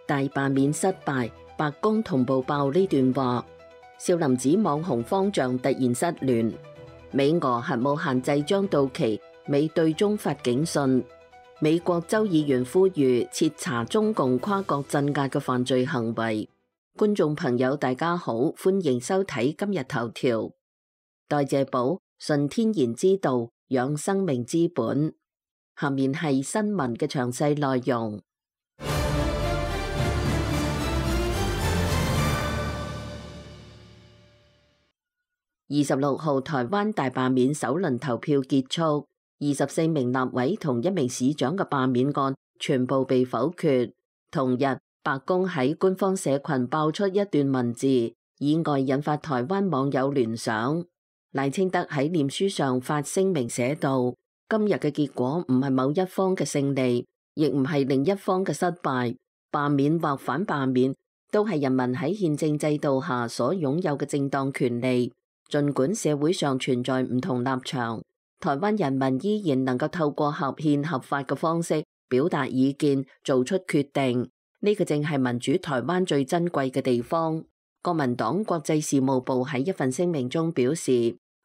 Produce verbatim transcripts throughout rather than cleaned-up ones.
大罷免失敗，白宮同步爆呢段話。少林寺網紅方丈突然失聯。美俄核武限制將到期，美對中發警訊。美國州議員呼籲徹查中共跨國鎮壓嘅犯罪行為。觀眾朋友大家好，歡迎收睇今日頭條。代謝寶，純天然之道，養生命之本。下面係新聞嘅詳細內容。二十六號台灣大罷免首輪投票結束，二十四名立委同一名市長嘅罷免案全部被否決。同日，白宮喺官方社群爆出一段文字，意外引發台灣網友聯想。賴清德喺臉書上發聲明寫道：今日嘅結果唔係某一方嘅勝利，亦唔係另一方嘅失敗。罷免或反罷免都係人民喺憲政制度下所擁有嘅正當權利。儘管社會上存在唔同立場，台灣人民依然能夠透過合憲合法嘅方式表達意見，做出決定。呢個正係民主台灣最珍貴嘅地方。國民黨國際事務部喺一份聲明中表示，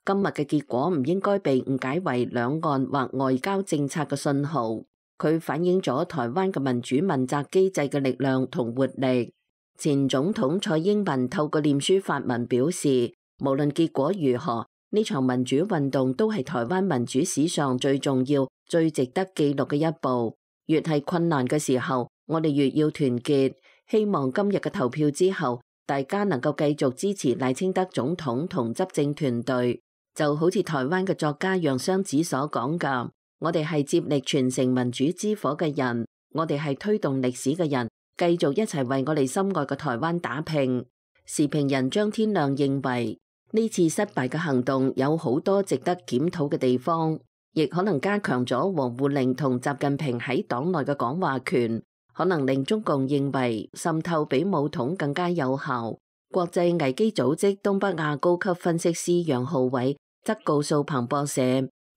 今日嘅結果唔應該被誤解為兩岸或外交政策嘅信號，佢反映咗台灣嘅民主問責機制嘅力量同活力。前總統蔡英文透過臉書發文表示，無論結果如何，呢場民主運動都係台灣民主史上最重要、最值得記錄嘅一步。越係困難嘅時候，我哋越要團結。希望今日嘅投票之後，大家能夠繼續支持賴清德總統同執政團隊。就好似台灣嘅作家楊雙子所講㗎，我哋係接力傳承民主之火嘅人，我哋係推動歷史嘅人，繼續一齊為我哋心愛嘅台灣打拼。時評人張天亮認為，呢次失敗嘅行動有好多值得檢討嘅地方，亦可能加強咗王滬寧同習近平喺黨內嘅講話權，可能令中共認為滲透比武統更加有效。國際危機組織東北亞高級分析師楊浩偉則告訴彭博社，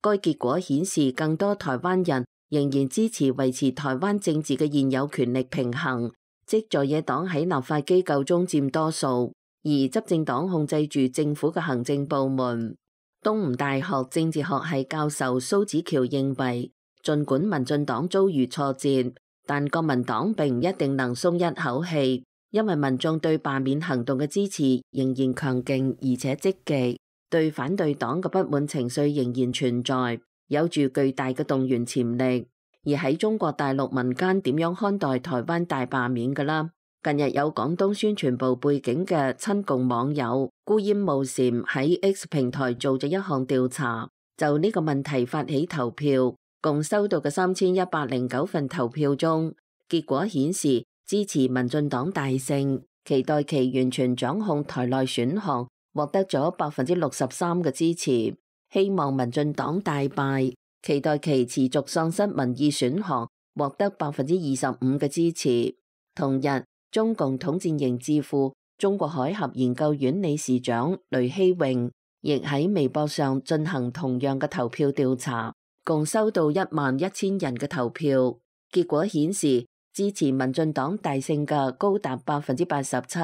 該結果顯示更多台灣人仍然支持維持台灣政治嘅現有權力平衡，即在野黨喺立法機構中佔多數，而執政黨控制住政府嘅行政部門。東吳大學政治學系教授蘇子喬認為，儘管民進黨遭遇挫折，但國民黨並唔一定能鬆一口氣，因為民眾對罷免行動嘅支持仍然強勁而且積極，對反對黨嘅不滿情緒仍然存在，有住巨大嘅動員潛力。而喺中國大陸民間點樣看待台灣大罷免㗎啦？近日有廣東宣傳部背景嘅親共網友孤煙冒禪喺 X 平台做咗一項調查，就呢個問題發起投票，共收到嘅三千一百零九份投票中，結果顯示支持民進黨大勝，期待其完全掌控台內選項，獲得咗百分之六十三嘅支持；希望民進黨大敗，期待其持續喪失民意選項，獲得百分之二十五嘅支持。同日，中共統戰營智庫中國海峽研究院理事長雷希榮亦喺微博上進行同樣嘅投票調查，共收到一萬一千人嘅投票，結果顯示支持民進黨大勝嘅高達百分之八十七，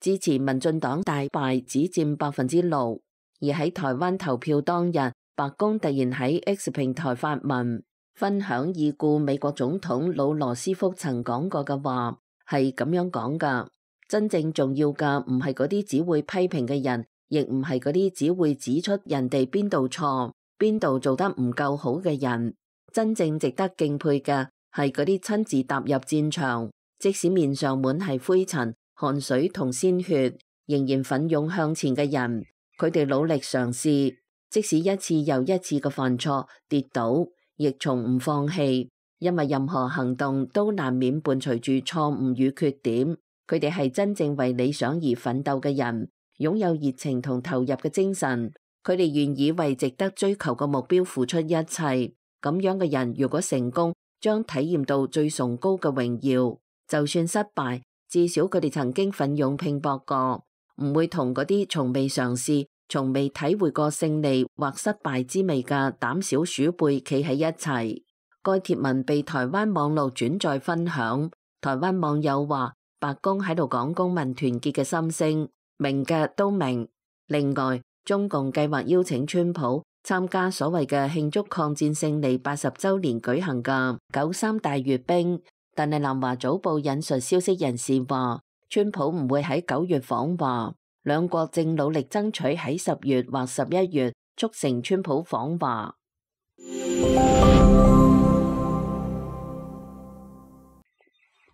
支持民進黨大敗只佔百分之六。而喺台灣投票當日，白宮突然喺 X 平台發文，分享已故美國總統老羅斯福曾講過嘅話。係咁樣講噶，真正重要嘅唔係嗰啲只會批評嘅人，亦唔係嗰啲只會指出人哋邊度錯、邊度做得唔夠好嘅人。真正值得敬佩嘅係嗰啲親自踏入戰場，即使面上滿係灰塵、汗水同鮮血，仍然奮勇向前嘅人。佢哋努力嘗試，即使一次又一次嘅犯錯、跌倒，亦從唔放棄。因為任何行動都難免伴隨住錯誤與缺點，佢哋係真正為理想而奮鬥嘅人，擁有熱情同投入嘅精神，佢哋願意為值得追求嘅目標付出一切。咁樣嘅人如果成功，將體驗到最崇高嘅榮耀；就算失敗，至少佢哋曾經奮勇拼搏過，唔會同嗰啲從未嘗試、從未體會過勝利或失敗之味嘅膽小鼠輩企喺一齊。該貼文被台灣網絡轉載分享，台灣網友話白宮喺度講公民團結嘅心聲，明嘅都明。另外，中共計劃邀請川普參加所謂嘅慶祝抗戰勝利八十週年舉行嘅九三大閱兵，但係南華早報引述消息人士話，川普唔會喺九月訪華，兩國正努力爭取喺十月或十一月促成川普訪華。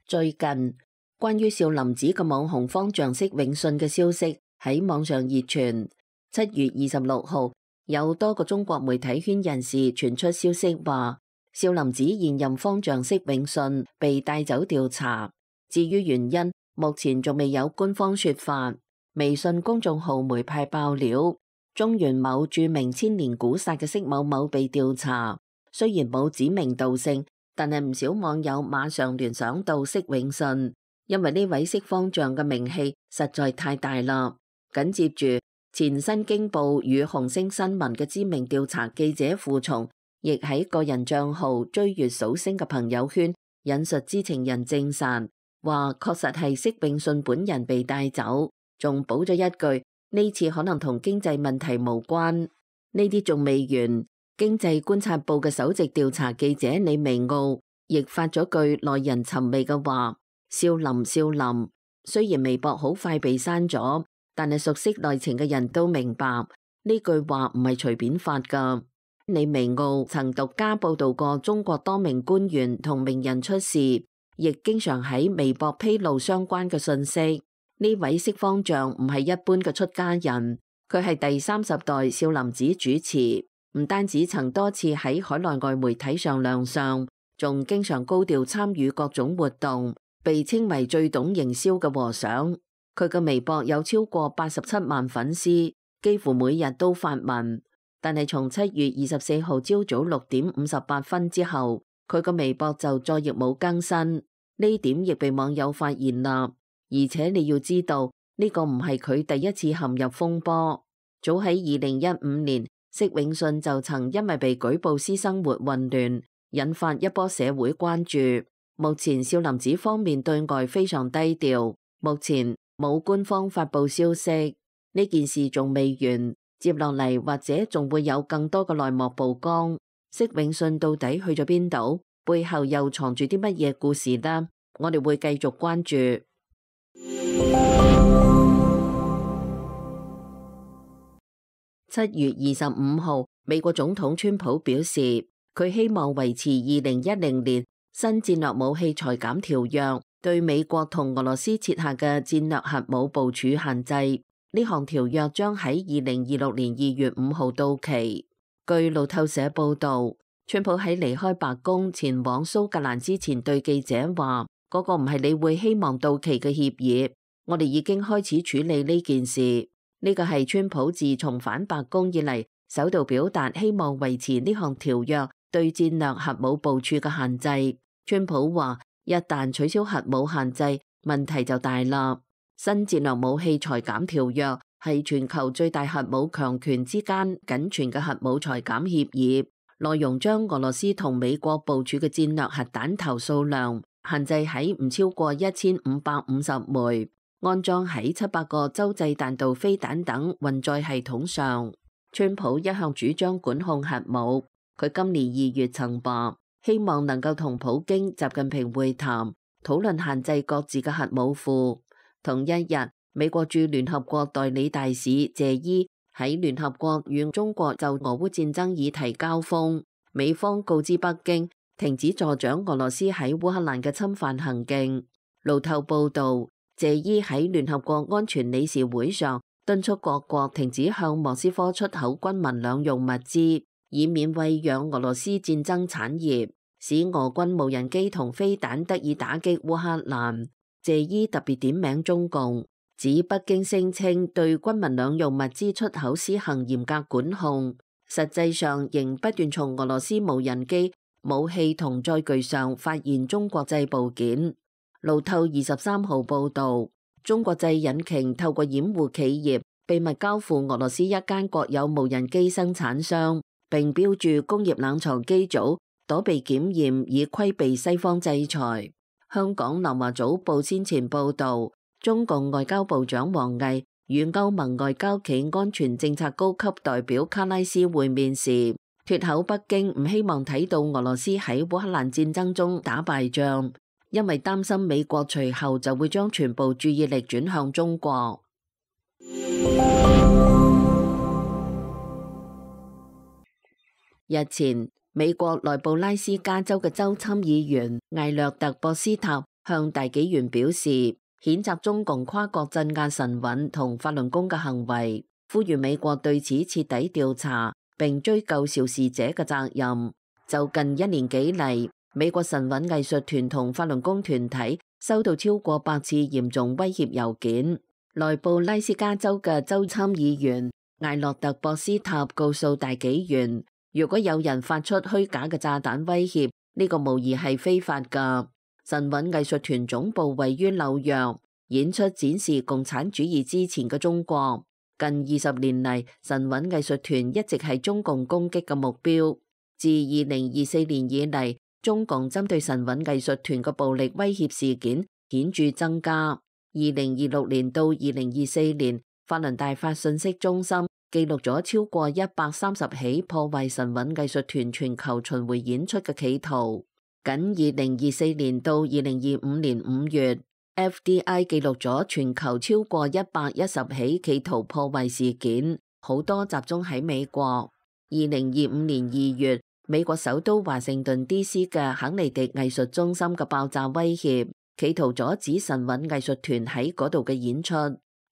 最近關於少林寺嘅網紅方丈釋永信嘅消息喺網上熱傳。七月二十六號，有多個中國媒體圈人士傳出消息話，少林寺現任方丈釋永信被帶走調查。至於原因，目前仲未有官方說法。微信公眾號媒派爆料，中原某著名千年古剎嘅釋某某被調查，雖然冇指名道姓，但係唔少網友馬上聯想到釋永信，因為呢位釋方丈嘅名氣實在太大啦。緊接住，前新京報與紅星新聞嘅知名調查記者傅松，亦喺個人賬號追月數星嘅朋友圈引述知情人證實，話確實係釋永信本人被帶走，仲補咗一句呢次可能同經濟問題無關。呢啲仲未完。經濟觀察報嘅首席調查記者李微奧亦發咗句耐人尋味嘅話：少林少林。雖然微博好快被刪咗，但係熟悉內情嘅人都明白呢句話唔係隨便發噶。李微奧曾獨家報道過中國多名官員同名人出事，亦經常喺微博披露相關嘅信息。呢位釋方丈唔係一般嘅出家人，佢係第三十代少林寺主持。唔單止曾多次喺海內外媒體上亮相，仲經常高調參與各種活動，被稱為最懂營銷嘅和尚。佢嘅微博有超過八十七萬粉絲，幾乎每日都發文。但係從七月二十四號朝早六點五十八分之後，佢嘅微博就再亦冇更新。呢點亦被網友發現啦。而且你要知道，呢個唔係佢第一次陷入風波。早喺二零一五年，釋永信就曾因為被舉報私生活混亂，引發一波社會關注。目前少林寺方面對外非常低調，目前冇官方發佈消息。呢件事仲未完，接落嚟或者仲會有更多嘅內幕曝光。釋永信到底去咗邊度？背後又藏住啲乜嘢故事呢？我哋會繼續關注。七月二十五號，美國總統川普表示，佢希望維持二零一零年新戰略武器裁減條約對美國同俄羅斯設下嘅戰略核武部署限制。呢項條約將喺二零二六年二月五號到期。據路透社報道，川普喺離開白宮前往蘇格蘭之前對記者話：嗰個唔係你會希望到期嘅協議，我哋已經開始處理呢件事。呢個係川普自從返白宮以嚟首度表達希望維持呢項條約對戰略核武部署嘅限制。川普話：一旦取消核武限制，問題就大啦。新戰略武器裁減條約係全球最大核武強權之間僅存嘅核武裁減協議，內容將俄羅斯同美國部署嘅戰略核彈頭數量限制喺唔超過一千五百五十枚，安裝喺七百個洲際彈道飛彈等運載系統上。川普一向主張管控核武，佢今年二月曾話希望能夠同普京、習近平會談，討論限制各自嘅核武庫。同一日，美國駐聯合國代理大使謝伊喺聯合國與中國就俄烏戰爭議題交鋒，美方告知北京停止助長俄羅斯喺烏克蘭嘅侵犯行徑。路透報道，謝伊喺聯合國安全理事會上敦促各國停止向莫斯科出口軍民兩用物資，以免餵養俄羅斯戰爭產業，使俄軍無人機同飛彈得以打擊烏克蘭。謝伊特別點名中共，指北京聲稱對軍民兩用物資出口施行嚴格管控，實際上仍不斷從俄羅斯無人機、武器同載具上發現中國製部件。路透二十三號報道，中國製引擎透過掩護企業秘密交付俄羅斯一間國有無人機生產商，並標注工業冷藏機組躲避檢驗以規避西方制裁。香港南華早報先前報導，中共外交部長王毅與歐盟外交暨安全政策高級代表卡拉斯會面時，脫口北京唔希望睇到俄羅斯喺烏克蘭戰爭中打敗仗，因為擔心美國隨後就會將全部注意力轉向中國。日前，美國內布拉斯加州嘅州參議員艾略特·博斯塔向大紀元表示，譴責中共跨國鎮壓晨運同法輪功嘅行為，呼籲美國對此徹底調查並追究肇事者嘅責任。就近一年幾嚟，美國晨運藝術團同法輪功團體收到超過百次嚴重威脅郵件。內布拉斯加州嘅州參議員艾略特·博斯塔告訴大紀元，如果有人發出虛假嘅炸彈威脅，呢個無疑係非法㗎。晨運藝術團總部位於紐約，演出展示共產主義之前嘅中國。近二十年嚟，晨運藝術團一直係中共攻擊嘅目標。自二零二四年以嚟，中共針對晨運藝術團嘅暴力威脅事件顯著增加。二零二六年到二零二四年，法輪大法信息中心記錄咗超過一百三十起破壞晨運藝術團全球巡迴演出嘅企圖。僅二零二四年到二零二五年五月 ，F D I 記錄咗全球超過一百一十起企圖破壞事件，好多集中喺美國。二零二五年二月，美國首都華盛頓 D C 嘅肯尼迪藝術中心嘅爆炸威脅，企圖阻止晨運藝術團喺嗰度嘅演出。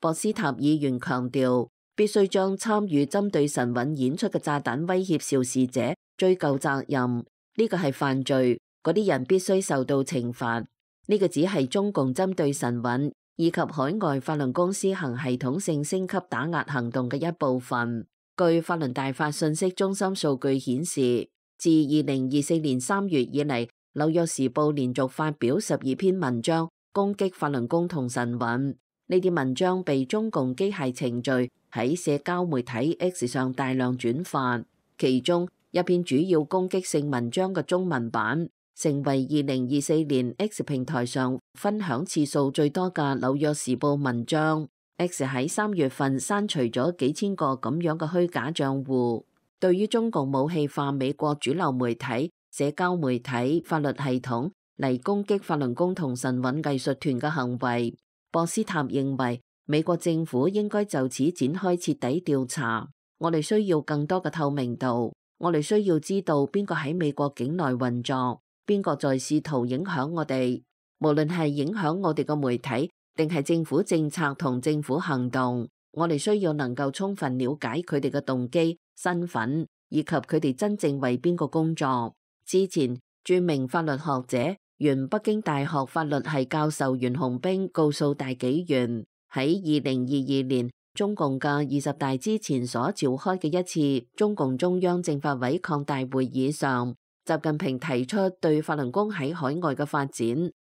博斯塔議員強調，必須將參與針對晨運演出嘅炸彈威脅肇事者追究責任，呢個係犯罪，嗰啲人必須受到懲罰。呢個只係中共針對晨運以及海外法輪功施行系統性升級打壓行動嘅一部分。據法輪大法信息中心數據顯示，自二零二四年三月以嚟，紐約時報連續發表十二篇文章攻擊法輪功同晨運。呢啲文章被中共機械程序喺社交媒體 X 上大量轉發，其中一篇主要攻擊性文章嘅中文版成為二零二四年 X 平台上分享次數最多嘅紐約時報文章。X 喺三月份刪除咗幾千個咁樣嘅虛假賬戶。對於中共武器化美國主流媒體、社交媒體、法律系統嚟攻擊法輪功同晨運藝術團嘅行為，博斯塔認為美國政府應該就此展開徹底調查。我哋需要更多嘅透明度，我哋需要知道邊個喺美國境內運作，邊個在試圖影響我哋，無論係影響我哋嘅媒體，定係政府政策同政府行動。我哋需要能夠充分了解佢哋嘅動機、身份以及佢哋真正為邊個工作。之前著名法律學者、原北京大學法律系教授袁洪兵告訴大紀元，喺二零二二年中共嘅二十大之前所召開嘅一次中共中央政法委擴大會議上，習近平提出對法輪功喺海外嘅發展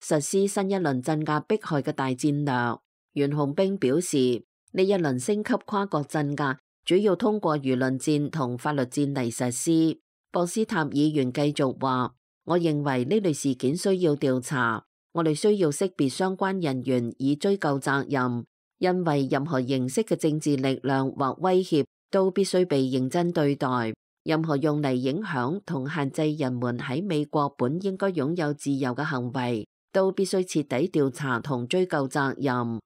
實施新一輪鎮壓迫害嘅大戰略。袁洪兵表示，呢一輪升級跨國鎮壓主要通過輿論戰同法律戰嚟實施。博斯塔議員繼續話，我認為呢類事件需要調查，我哋需要識別相關人員以追究責任，因為任何形式嘅政治力量或威脅都必須被認真對待。任何用嚟影響同限制人們喺美國本應該擁有自由嘅行為，都必須徹底調查同追究責任。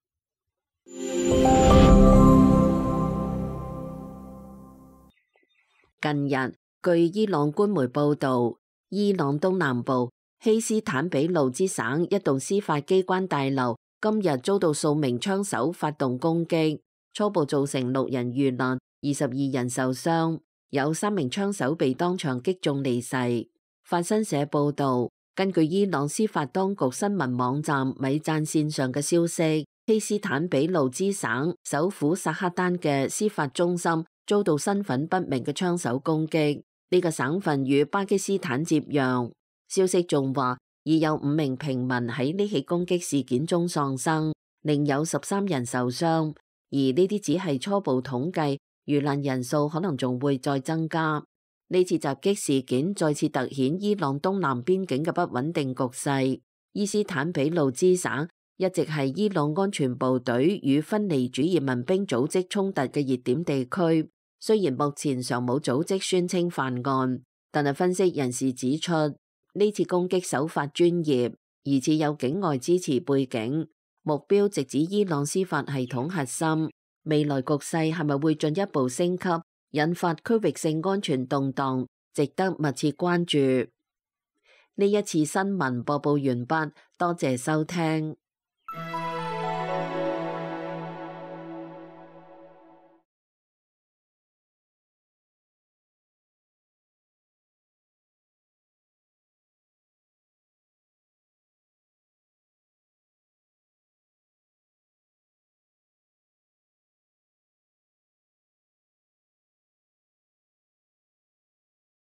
近日，據伊朗官媒報導，伊朗東南部希斯坦比魯茲省一棟司法機關大樓今日遭到數名槍手發動攻擊，初步造成六人遇難，二十二人受傷，有三名槍手被當場擊中離世。法新社報導，根據伊朗司法當局新聞網站米贊線上嘅消息，希斯坦比魯茲省首府薩克丹嘅司法中心遭到身份不明嘅槍手攻擊。呢個省份與巴基斯坦接壤。消息仲話，已有五名平民喺呢起攻擊事件中喪生，另有十三人受傷。而呢啲只係初步統計，遇難人數可能仲會再增加。呢次襲擊事件再次突顯伊朗東南邊境嘅不穩定局勢。伊斯坦比魯茲省一直係伊朗安全部隊與分離主義民兵組織衝突嘅熱點地區。雖然目前尚冇組織宣稱犯案，但係分析人士指出，呢次攻擊手法專業，而且有境外支持背景，目標直指伊朗司法系統核心。未來局勢係咪會進一步升級，引發區域性安全動盪，值得密切關注。呢一次新聞播報完畢，多謝收聽。